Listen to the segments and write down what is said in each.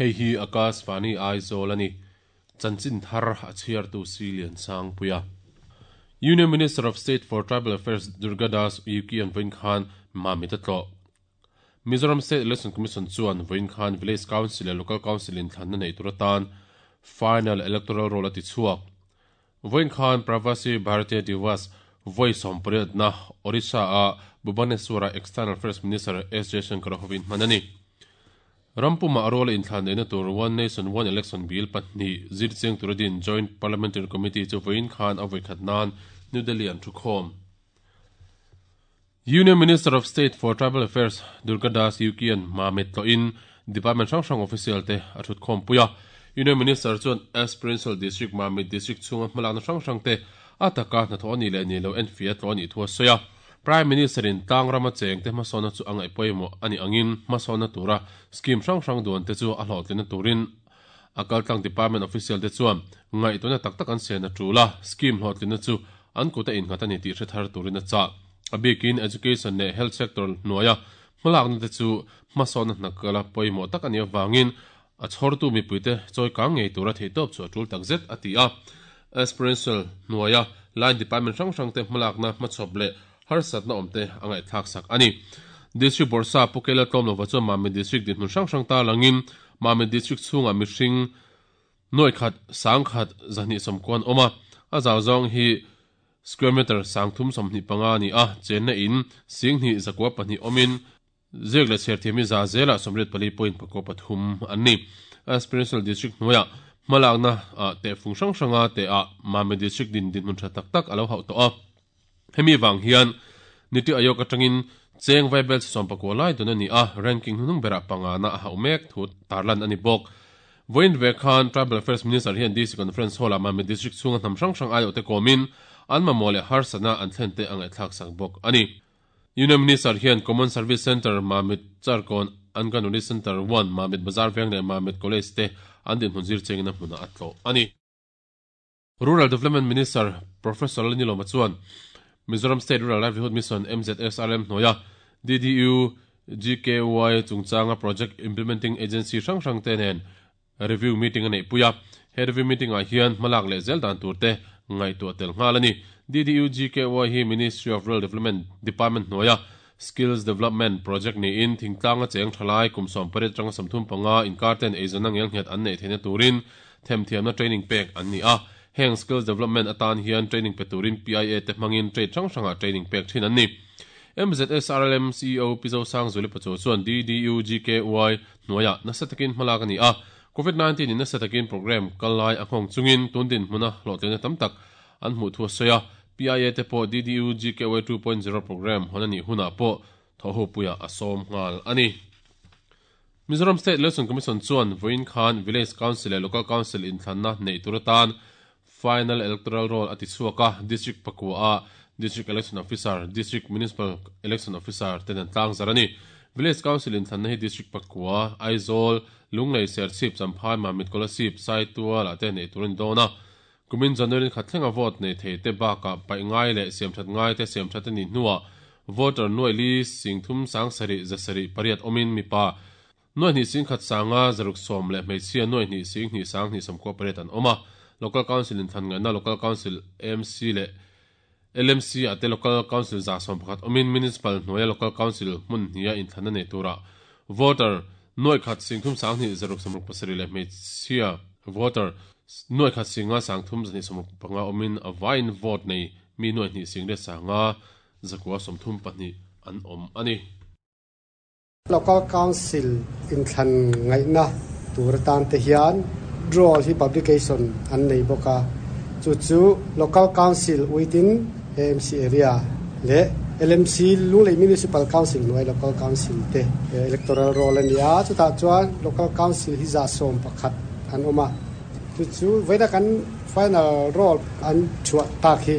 Hei hi Akashvani Aizawl a ni. Chanchin thar a chhiartu Siliansangpuia. Union Minister of State for Tribal Affairs Durga Das Uikey an vawiin khan Mamit a tlawh. Mizoram State Election Commission chuan vawiin khan Village Council leh Local Council inthlanna neih tur atan Final Electoral Roll a ti chhuak. Vawiin khan Pravasi Bharatiya Divas vawi sawmpariatna Odisha-a Bhubaneswar-ah External Affairs Minister S Jaishankar-a hovin hman a ni. Ram pumah a ruala inthlan neihna tur One Nation One Election Bill pahnih zirchiang tura din Joint Parliamentary Committee chu vawiin khan a vawikhat nan New Delhi an thukhawm. Union Minister of State for Tribal Affairs Durga Das Uikey-a'n Mamit tlawhin Department hrang hrang official te a thutkhawmpui a. Union Minister chuan Aspirential District Mamit District chhunga hmalakna hrang hrang te a taka hnathawh a nih leh nih loh enfiah tlawh a nih thu a sawi a. Prime Minister-in tlangrama chengte hmasawnna chu a ngaih pawimawh a nih angin hmasawnna tura scheme hrang hrang duan te chu a hlawhtlinna turin a kaltlang department official te chuan ngaihtuahna tak tak an sen a tul a, scheme hlawhtlinna chu an kut a innghat a ni tih hre thar turin a chah. A bikin education leh health sector hnuaia hmalakna te chu hmasawnna hna kala pawimawh tak a nih avangin a chhawrtu mipuite chawi kang ngei tura theihtawp chu a tul takzet a ti a. Aspirential hnuaia line department hrang hrangte hmalakna hmachhawp leh harsatna awmte a ngaihthlaksak a ni. District Bawrhsa Pu Kela Tlawmlova chuan Mamit District dinhmun hrang hrang tarlangin Mamit District chhungah mihring nuaih khat, sang khat, zahnih sawmkua an awm a, a zau zawng hi square meter 325 a ni a, chenna in singhnih zakua pahnih awmin Ziak leh chhiar thiam hi za zelah 84.43 an ni. Aspirational District hnuaiah hmalakna ah tehfung hrang hranga teh ah Mame District din dinhmun tha tak tak a lo hauh tawh a. Hemi vang hian Niti Aayog atangin cheng vaibel 19 lai dun a ni a, ranking hnuhnung berah pangana a hauh mek thu tarlan a ni bawk. Vawiin ve khan Tribal Affairs Minister hian DC Conference Hall ah Mame District chhunga hnam hrang hrang aiawhte kawmin an mamawh leh harsatna an thlente a ngaihthlak sak bawk a ni. Union Minister hian Common Service Centre, Mamit Charkawn, Anganwadi Centre One, Mamit Bazar Veng leh Mamit College te an dinhmun zir chengin a hmunah a tlawh a ni. Rural Development Minister Professor Lalnilawma chuan Mizoram State Rural Livelihood Mission, MZSRM, hnuaia DDU GKY chungchanga Project Implementing Agency hrang hrangte nen Review meeting a neihpui a, he review meeting ah hian hmalak leh zel dan tur te ngaihtuah tel nghal a ni. DDUGKY hi Ministry of Rural Development Department hnuaia Skills Development Project niin thingtlanga cheng thalai kum 18 atanga 35 inkar ten eizawnna ngelnghet an neih theihna turin themthiamna training pek an ni a. Heng Skills Development atan hian training pe turin PIA te hmangin trade hrang hrangah training pek thin an ni. MZSRLM CEO Pi Zosangzuali Pachuau chuan DDUGKY hnuaiah nasa takin hmalak a ni a, Covid 19 in nasa takin program kal lai a nghawng chungin tun dinhmuna hlawhtlinna tam tak an hmuh thu a sawi a, PIA te pawh DDU GKY 2.0 program hawn a nih hunah pawh thawhhopuiah a sawm nghal a ni. Mizoram State Election Commission chuan vawiin khan Village Council leh Local Council inthlanna neih tur atan Final Electoral Roll a ti chhuak a, District pakua ah District Election Officer, District Municipal Election Officer ten an tlangzar a ni. Village Council inthlanna hi District pakua, Aizawl, Lunglei, Serchhip, Champhai, Mamit, Kolasib, Saitual ah te neih tur a ni dawn a. Kumin January khat thlenga vote nei thei te bakah paih ngai leh siamthat ngai te siamthat a nih hnuah voter nuaih li singthum sangsarih zasarih pariat awmin mipa Nuaih hnih singkhat sanga zaruk sawm leh hmeichhia nuaih hnih sing hnih sang hnih sawmkua pariat an awm a. Local Council in thlan ngaihna Local Council AMC leh LMC ah te Local Council 111 awmin Municipal hnuaia Local Council hmun hniha inthlanna nei turah voter nuaih khat singthum sang hnih zaruk sawmruk pasarih leh hmeichhia voter nuaih khat singa sang thum zahnih sawmruk panga awmin a vaiin vote nei mi nuaih hnih sing let sanga zakua 32 an awm a ni. Local Council inthlan ngaihna tur atan te hian draw hi publication an nei bawk a, chu chu Local Council within AMC area leh LMC Lunglei Municipal Council hnuai Local Council te electoral roll a ni a, chutah chuan Local Council hi 11% an awm a, chu chu vawiina kan final roll an chhuah tak hi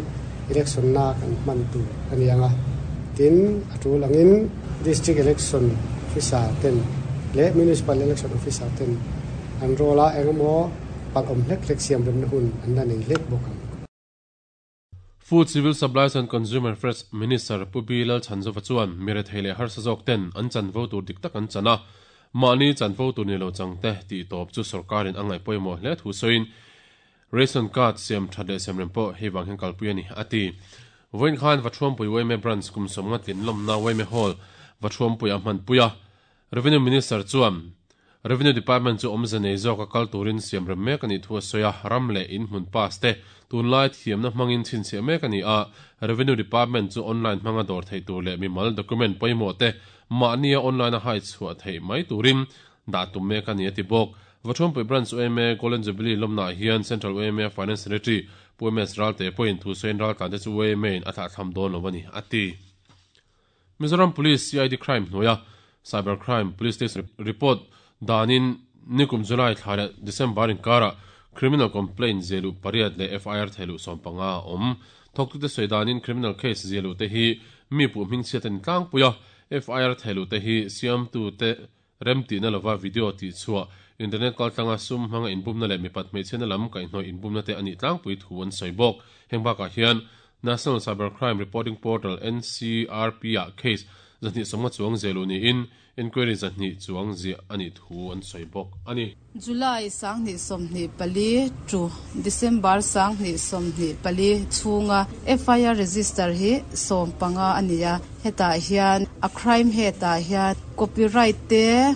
election na kan hman tur a ni ang a, tin a tul angin. District Election Officer ten leh Municipal Election Officer ten an role a engemaw palh awm hlek hlek siam remna hun an la nei hlek bawk ang. Food, Civil Supplies and Consumer Affairs Minister Pu Bilal Chhanzova chuan mi rethei leh harsa zawk ten an chanvo tur dik tak an chan a. Mahni chanvo tur ni lo changte tih tawp chu sorkarin a ngaih pawimawh hle thu sawiin Ration card siam that leh siam rem pawh hei vang hian kalpui a ni, a ti. Vawiin khan Vathuampui yma Branch kum sawmnga tlin lawmna yma Hall Vathuampui a hmanpui a. Revenue Minister chuan Revenue Department chu awmze nei zawka kal turin siam rem mek a nih thu a sawi a, ram leh in hmun pass te tunlai thiamna hmangin chhinchhiah mek a ni a, Revenue Department chu online hmanga dawr theih tur leh mimal document pawimawh te mahnia online a hai chhuah theih mai turin dah tum mek a ni a ti bawk. Vathuampui Branch yma Golden Jubilee lawmnaah hian Central yma Finance Secretary Pu MS Ralte pawhin thu sawiin raltlante chu yma in a thlahthlam dawn lo a ni a ti. Mizoram Police CID Crime hnuaia Cyber Crime Police Station report danin nikum July thla leh December inkarah criminal complaint ziahluh pariat leh FIR thehluh 15 a awm. Thawktute sawi danin criminal case ziahluh te hi mi puh hmingchhiat a ni tlangpui a, FIR thehluh te hi siamtute Remtihna lova video tihchhuah, internet kaltlanga sum hmanga inbumna leh mipat hmeichhiatna lam kaihhnawih inbumna te a nih tlangpui thu an sawi bawk. Heng bakah hian National Cyber Crime Reporting Portal, NCRP, ah case 250 chuang ziahluh niin inquiry 200 chuang ziah a nih thu an sawi bawk a ni. July 2024 to December 2024 chhunga FIR register hi 15 a ni a, hetah hian a crime head-ah hian copyright te,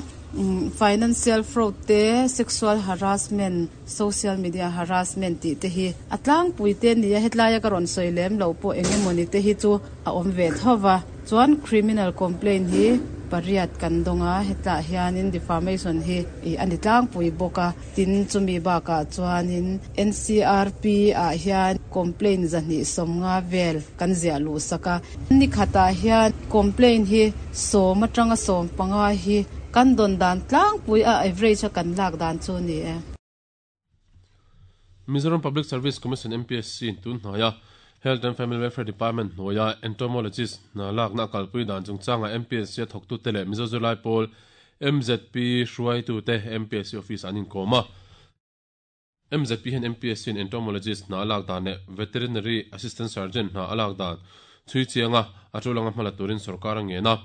financial fraud te, sexual harassment, social media harassment tih te hi a tlangpui te a ni a, hetlaia ka rawn sawi lem loh pawh eng emawni te hi chu a awm ve tho va. Chuan criminal complaint hi pariat kan dawng a, hetah hianin defamation hi ih a ni tlangpui bawk a, tin chumi bakah chuanin NCRP ah hian complaint 250 vel kan ziah luh sak a, ni khatah hian complaint hi sawm atanga 15 hi kan dawn dan tlangpui a average a kan lak dan chu a ni e. Mizoram Public Service Commission, MPSC, in tun hnaia Health and Family Welfare Department hnuaia Entomologist hna lakna a kalpui dan chungchangah MPSC a thawktute leh Mizo Zirlai Pawl, MZP, hruaitute MPSC office ah an inkawm a. MZP hian MPSC in Entomologist hna a lak dan leh Veterinary Assistant Surgeon hna a lak dan chhui chianga a tul anga hmala turin sorkar a ngen a.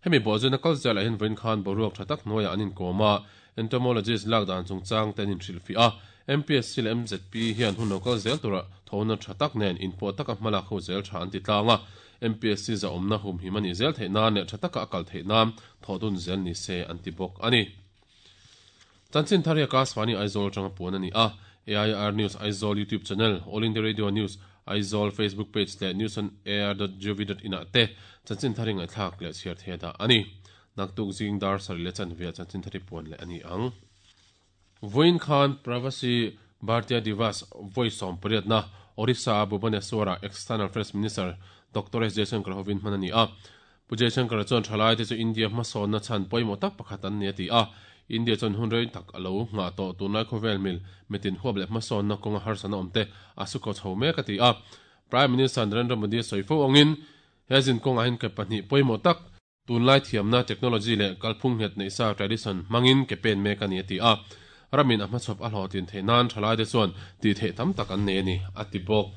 Hemi bawhzawina kal zelah hian vawiin khan boruak tha tak hnuaiah an inkawm a. Entomologist lak dan chungchang te an inhrilhfiah a, MPSC leh MZP hian hun lo kal zel tura thawhna tha tak nen inpawh taka hmalak ho zel tha an ti tlang a, MPSC zahawmna humhim a nih zel theih nan leh tha taka a kal theih nan thawh dun zel ni se an ti bawk a ni. Chanchin thar hi Akashvani Aizawl atanga puan a ni a, AIR News Aizawl YouTube channel, All India Radio News Aizawl Facebook page leh newsonair.gov.in ah te chanchin thar hi ngaihthlak leh chhiar thei a dah a ni. Naktuk zing dar sarih leh chanve ah chanchin thari puan leh a ni ang. Vawiin khan Pravasi Bhartiya Divas vawi 18na Orissa a Bhubaneswar ah External Affairs Minister Doctor S Jaishankar hovin hman a ni a. Pu Jaishankar chuan thalaite chu India hmasawnna chhan pawimawh tak pakhat an ni a ti a. India chuan hun rei tak a lo nghah tawh tunlai khawvel mil mitin huap leh hmasawnna kawnga harsatna awmte a su khaw chho mek a ti a. Prime Minister Narendra Modi a sawi fo angin he zin kawngah hian ke pahnih pawimawh tak Tunlai thiamna, technology, leh kalphung nghet neih sa, tradition, hmangin ke pen mek a ni a ti a. Ramin a hmachhawp a hlawhtlin theih nan thalaite chuan tih theih tam tak an nei a ni, a ti bawk.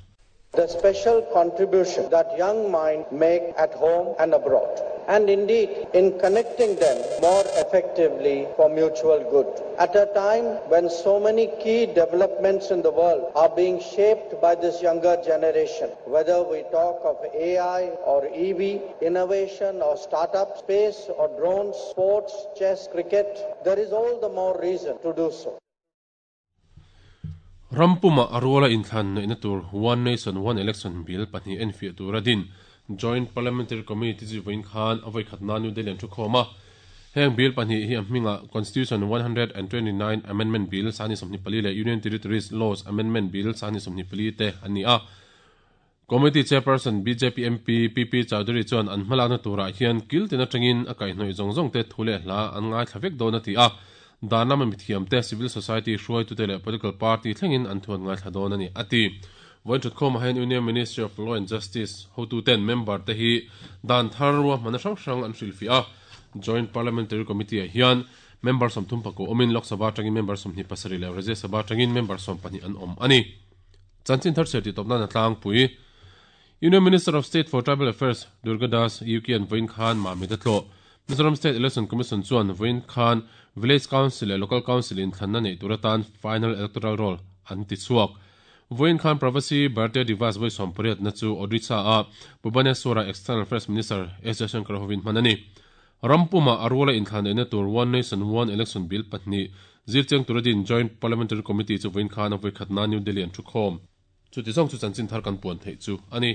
The special contribution that young mind make at home and abroad, and indeed in connecting them more effectively for mutual good. At a time when so many key developments in the world are being shaped by this younger generation, whether we talk of AI or EV, innovation or startup, space or drones, sports, chess, cricket, there is all the more reason to do so. Rampuma a ruala inthlan neihna tur One Nation One Election Bill pahnih enfiah tura din Joint Parliamentary Committee chu vawiin khan a vawikhatna New Delhi an thukhawm a. Heng bill pahnih hi a hmingah Constitution 129 Amendment Bill 2024 leh Union Territories Laws Amendment Bill 2024 te an ni a. Committee Chairperson bjp MP PP Chaudhary chuan an hmalakna turah hian kil tin atangin a kaihhnawih zawng zawng te thu leh hla an ngaithla vek dawn a ti a, dan lama mithiamte, civil society hruaitute leh political party thlengin an thu an ngaithla dawn a ni, a ti. Vawiin thutkhawmah hian Union Ministry of Law and Justice hotuten member te hi dan thar ruahmanna hrang hrang an hrilhfiah a, Joint Parliamentary Committee ah hian member 34 awmin Lok Sabha atangin member 27 leh Rajya Sabha atangin member 12 an awm a ni. Chanchin thar chhiar tih tawp nan a tlangpui. Union Minister of State for Tribal Affairs Durga Das Yuki an vawiin khan Mamit a tlawh. Mizoram State Election Commission chuan vawiin khan Village Council leh Local Council inthlanna neih tur atan Final Electoral Roll an ti chhuak. Vawiin khan Pravasi Bharatiya Divas vawi sawmpariatna chu Odisha-a Bhubaneswar-ah External Affairs Minister S Jaishankar hovin hman a ni. Ram pumah a ruala inthlan neihna tur One Nation One Election Bill pahnih zirchiang tura din Joint Parliamentary Committee chu vawiin khan a vawikhatna New Delhi an thu khawm. Chuti zawng chu chanchin thar kan puan theih chu a ni.